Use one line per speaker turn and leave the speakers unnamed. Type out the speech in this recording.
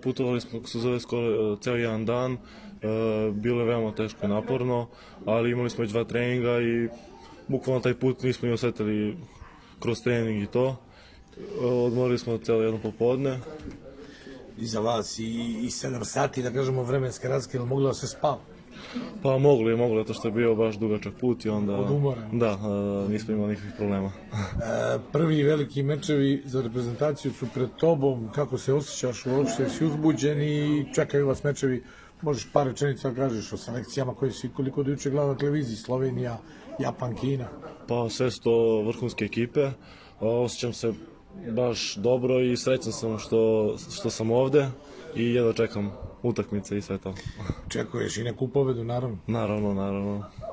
Putovali smo, kako se zove, skoro ceo jedan dan, bilo je veoma teško i naporno, ali imali smo već 2 treninga i bukvalno taj put nismo ni osetili kroz trening i to. Odmorili smo celo jedno popodne.
Iza vas i 7 sati, da kažemo, vremenske razlike, ili moglo da se spava?
Pa mogli, zato što je bio baš dugačak put i onda...
Od umora?
Da, nismo imali nikakvih problema.
Prvi veliki mečevi za reprezentaciju su pred tobom, kako se osjećaš uopšte, si uzbuđen i čekaju vas mečevi, možeš par rečenica da kažeš o selekcijama koje si koliko do juče gledao na televiziji, Slovenija, Japan, Kina?
Pa sve su to vrhunske ekipe, osjećam se baš dobro i srećan sam što sam ovde i jedva čekam utakmice i sve to.
Čekuješ i neku pobedu, naravno?
Naravno.